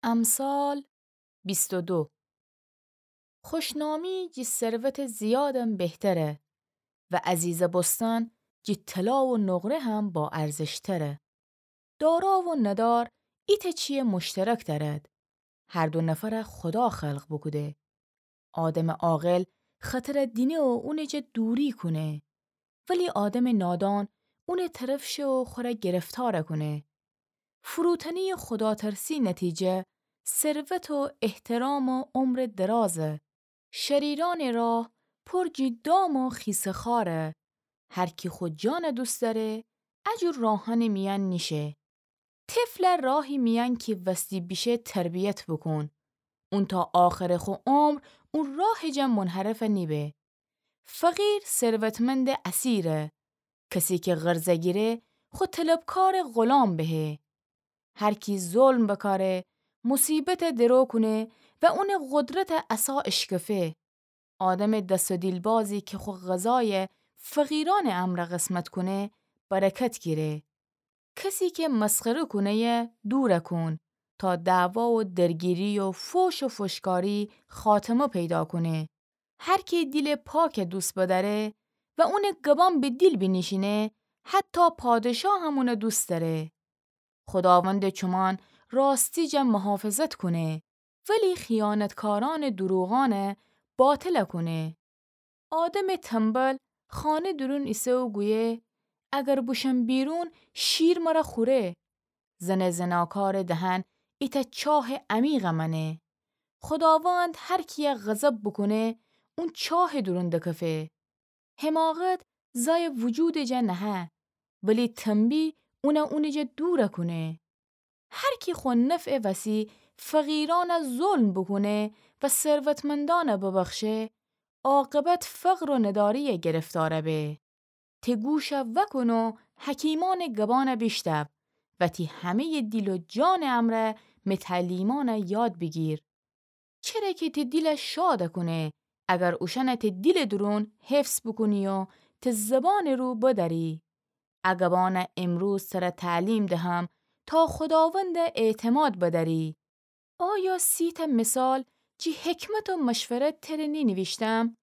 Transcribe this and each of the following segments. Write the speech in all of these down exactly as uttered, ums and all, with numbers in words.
امثال بیست و دو. خوشنامی جی ثروت زیادم بهتره و عزیزه بوستن جی طلا و نقره هم با ارزش‌تره. دارا و ندار ایتأ چیه مشترک دأرد. هر دو نفره خودا خلق بوکوده. آدمٚ عاقل خطره دینه و اونٚ جا دوری کونه، ولی آدمٚ نادان اونٚ طرف شه و خوره گرفتار کونه. فروتنی خداترسی نتیجه ثروت و احترام و عمرٚ درازه. شریرأنٚ راه پر جی دام و خیسه خاره. هر کی خو جانه دوست دأره، اجور راهأنٚ میأن نیشه. طفله راهی میأن کی وستی بیشه تربیت بوکون. اون تا آخرٚ خو عمر اون راهٚ جا منحرف نیبه. فقیر ثروتمندٚ اسیره. کسی کی قرضه گیره، خو طلبکارٚ غلام بهه. هر کی ظلم بکاره، مصیبته درو کونه و اونٚ قدرته عصا اشکفه. آدمٚ دس و دیلبازی کی خو غذایه فقیرأنٚ امرأ قسمت کونه، برکت گیره. کسی کی مسخره کونه‌یه دوره کون، تا دعوا و درگیری و فوش و فوشکاری خاتمه پیدا کونه. هر کی دیلٚ پاکه دوست بدأره و اونٚ گبان به دیل بینیشینه، حتی پادشاه هم اونه دوست دأره. خداوندٚ چومان راستی جا محافظت کونه، ولی خیانتکارأنٚ دروغأنه باطل کونه. آدمٚ تنبل خانه دورون ایسه و گویه، اگر بوشم بیرون شیر مره خوره. زنٚ زناکارٚ دهن ایتأ چاه عمیق مأنه. خداوند هر کیه غضب بوکونه، اون چاه دورون دکفه. حماقت زای وجودٚ جا نهه، ولی تنبیه اونه اونٚ جا دور کونه. هر کی خو نفعٚ وسی فقیرأنه ظلم بوکونه و ثروتمندأنه ببخشه، عاقبت فقر و نداریه گرفتار به. ته گوشه وأکون و حکیمأنٚ گبأنه بیشتو و تی همه‌یٚ دیل و جانٚ امرأ می تعلیمأنه یاد بیگیر. چره کی تی دیله شاد کونه، اگر اوشأنه تی دیلٚ دورون حفظ بوکونی و تی زبانٚ رو بدأری. ا گبأنه امروز تره تعلیم دهم تا خداونده اعتماد بدأری. آیا سی‌تأ مثال جی حکمت و مشورت تره نینیویشتم؟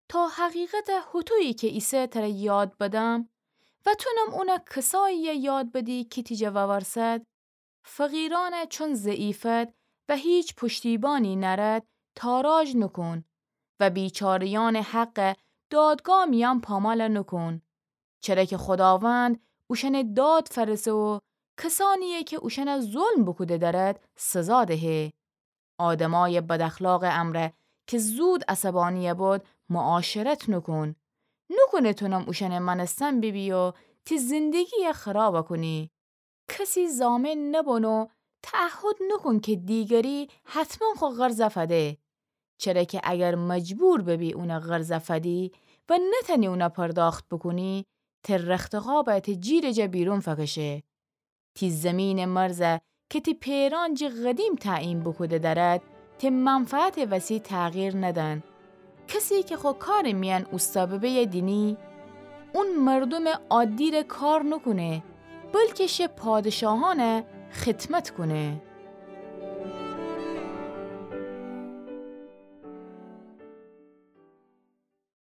تا حقیقته هوطویی کی ایسه تره یاد بدم و تونم اونه کساییه یاد بدی کی تی جا وورسد؟ فقیرأنه چون ضعیفد و هیچ پشتیبانی نأرد تاراج نوکون و بیچاره‌یأنٚ حقه دادگاه میأن پامال نوکون. چره کی خداوند اوشأنٚ داد فأرسه و کسأنیی کی اوشأنه ظلم بوکوده دأرد سزا دهه. آدمأیٚ بداخلاقٚ امرأ کی زود عصبانی بود معاشرت نوکون. نوکونه تونم اوشأنٚ مأنستن بیبی و تی زندگیی خراب کونی. کسی ضامن نبون و تعهد نوکون کی دیگری حتما خو قرضه فده. چره کی اگر مجبور ببی اونه قرضه فدی و نتأنی اونه پرداخت بوکونی، تی رختخوابه تی جیرٚ جا بیرون فکشه. تی زیمینٚ مرزه کی تی پئرأن جی قدیم تعیین بوکوده دأرد، تی منفعتٚ وسی تغییر ندن. کسی کی خو کارٚ میأن اوستا ببه دینی، اون مردومٚ عادیره کار نوکونه، بلکی شه پادشاهأنه خدمت کونه.